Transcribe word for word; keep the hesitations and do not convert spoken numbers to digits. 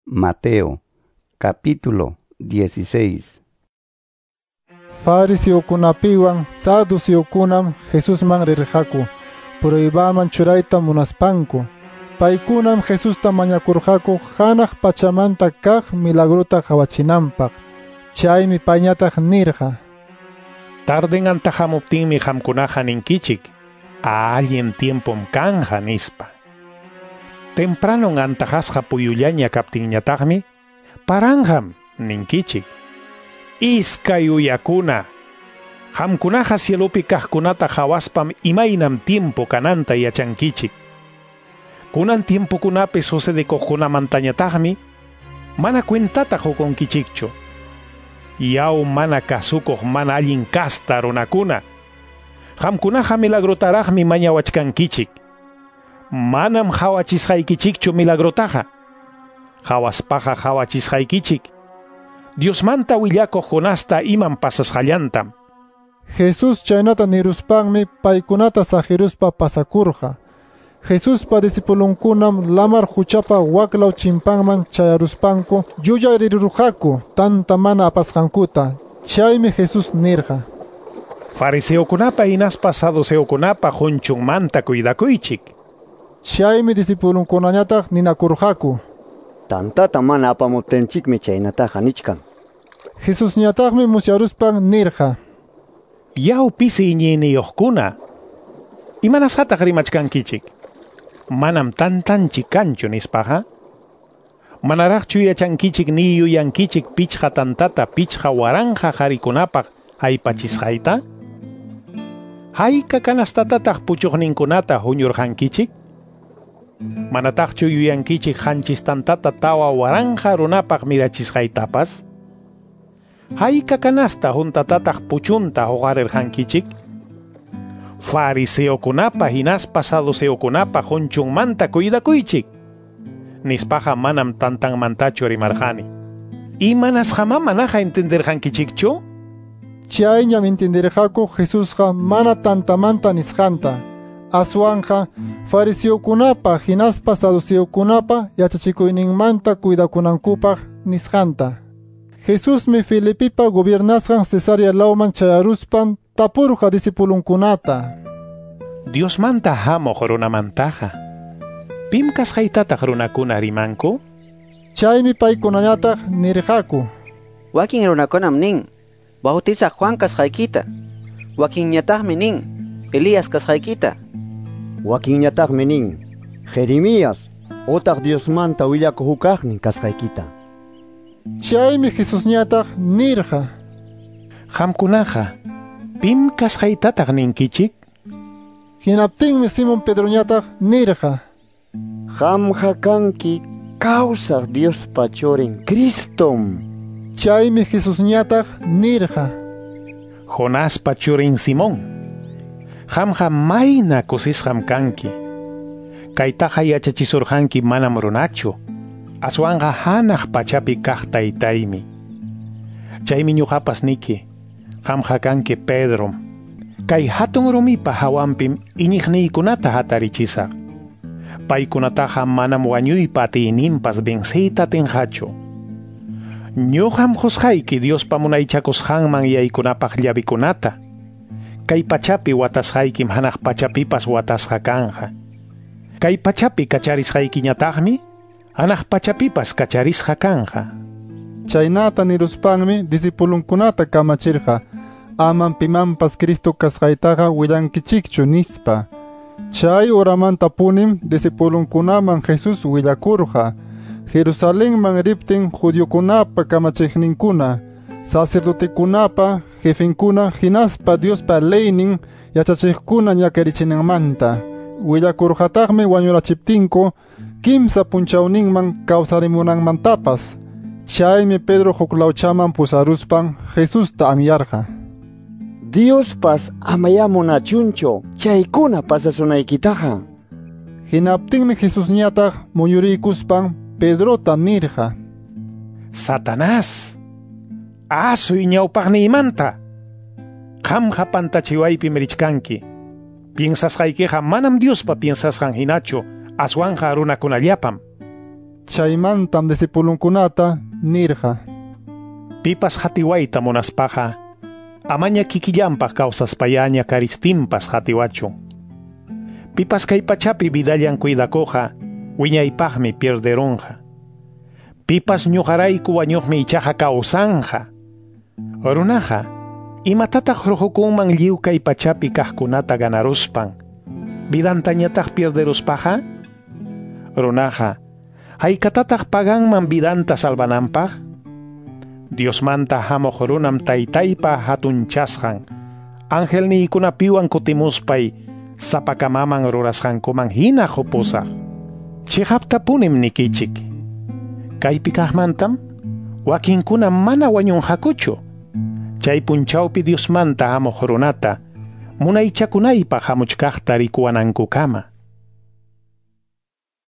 Mateo, capítulo dieciséis. Fariseokunapiwan saduceokunam Jesusman rirqaku, pruebaman churayta munaspanku. Paykunam Jesusta mañakurqaku hanaq pachamanta kaq milagrota qawachinanpaq. Chaymi payñataq nirqa: Tarden antahamuptinmi qamkunaqa ninkichik, allin tiempom kanja nispa. Tempranon antajasqa puyullaña kaptinñataqmi, paranjam ninkichik. Iskay uyakuna, qamkunaqa cielopi kaqkunata qawaspam imaynam tiempo kananta yachankichik. Kunan tiempokunapi sucedekuqkunamantañataqmi mana cuentata qukunkichikchu. Yaw mana kasukuq mana allin kasta runakuna, qamkunaqa milagrotaraqmi mañawachkankichik. Manam qawachisqaykichikchu milagrotaqa. Qawaspaqa qawachisqaykichik Diosmanta willakuq Jonasta imam pasasqallantam. Jesús chaynata niruspanmi paykunata saqiruspa pasakurqa. Jesuspa discipulunkunam lamar huchapa waklaw chimpanman chayaruspanku yuyarirurqaku tanta mana apasqankuta. Chaymi Jesús nirqa: Fariseokunapa hinaspa saduceokunapa qunchunmanta cuidakuychik. Chaymi discipulunkunañataq ninakurqaku: Tantata mana apamuptinchikmi chaynataqa nichkan. Jesusñataqmi musyaruspan nirqa: Yaw pisi iñiyniyuqkuna, imanasqataq rimachkankichik? Manam tantanchik kanchu nispaqa. Manaraqchu yachankichik ni yuyankichik pichqa tantata pichqa waranqa qharikunapaq aypachisqayta? Hayka kanastatataq puchuqninkunata huñurqankichik? Manataqchu yuyankichik qanchis tantata tawa waranqa runapaq mirachisqaytapas? Hayka kanasta huntatataq puchunta huqarirqankichik? Fariseokunapa hinaspa saduceokunapa qunchunmanta cuidakuychik. Nispaqa manam tantanmantachu rimarqani. Imanasqamá manaqa entenderqankichikchu? Chayñam entenderqaku Jesusqa mana tantamanta nisqanta. Aswanqa fariseokunapa hinaspa saduceokunapa yachachikuyninmanta cuidakunankupaq nisqanta. Jesusmi Filipipa gobiernasqan Cesarea lawman chayaruspan tapurqa discipulunkunata: Diosmanta hamuq runamantaqa, ¿pim kasqaytataq runakuna rimanku? Chaymi paykunañataq nirqaku: Wakin runakunam nin, Bautizaq Juan kasqaykita. Wakinñataqmi nin, Elías kasqaykita. Wakinñataqmi nin, Jeremías otaq Diosmanta willakuq hukaqnin kasqaykita. Chaymi Jesusñataq nirqa: Qamkunaqa, ¿pim kasqaytataq ninkichik? Hinaptinmi Simón Pedroñataq nirqa: Qamqa kanki kawsaq Diospa churin Cristom. Chaymi Jesusñataq nirqa: Jonaspa churin Simón, qamqa mayna kusisqam kanki. Kaytaqa yachachisurqanki manam runachu, aswanqa hanaq pachapi kaq taytaymi. Chaymi ñuqapas niki, qamqa kanki Pedrom. Kay hatun rumipa hawanpim iñiqniykunata hatarichisaq. Paykunataqa manam wañuypa atiyninpas venceyta atinqachu. Ñuqam qusqayki Diospa munaychakusqanman yaykunapaq llavikunata. Kay pachapi watasqaykim hanaq pachapipas watasqa kanja. Kay pachapi kacharisqaykiñataqmi hanaq pachapipas kacharisqa kanja. Chaynata niruspanmi discipulunkunata kamachirqa: Amam pimanpas Cristo kasqaytaqa willankichikchu nispa. Chay uramantapunim discipulunkunaman Jesús willakurqa. Jerusalenman riptin judiokunapa kamachiqninkuna, sacerdotekunapa jefenkuna hinaspa Diospa leynin yachachiqkuna ñakarichinanmanta. Willakurqataqmi wañurachiptinku kimsa punchawninman kawsarimunanmantapas. Chaymi Pedro huklawchaman pusaruspan Jesusta anyarqa: Diospas amayá munachunchu chaykuna pasasunaykitaqa. Hinaptinmi Jesusñataq muyuriykuspan Pedrota nirqa: Satanás, asuy ñawpaqniymanta. Qamqa pantachiwaypim richkanki. Piensasqaykiqa manam Diospa piensasqan hinachu, aswanqa runakunallapam. Chaymantam discipulunkunata nirqa: Pipas hatiwayta munaspaqa, amaña kikillanpaq kawsaspayaña karistinpas hatiwachun. Pipas kay pachapi vidallan cuidakuqa, wiñaypaqmi pierderunqa. Pipas ñuqarayku wañuqmi ichaqa kawsanja. Runaqa, imatataq ruhukunman lliw kay pachapi kaqkunata ganaruspan, vidantañataq pierderuspaqa? Runaqa, haykatataq paganman vidanta salvananpaq? Diosmanta hamuq runam taytaypa hatunchasqan, angelniykunapiwan kutimuspay sapakamaman rurasqankuman hina qupusaq. Chiqaptapunim nikichik. Kaypi kaqmantam wakinkuna mana wañunqakuchu. Chay punchawpi Diosmanta hamuq runata munaychakunaypaq hamuchkaqta rikuwanankukama.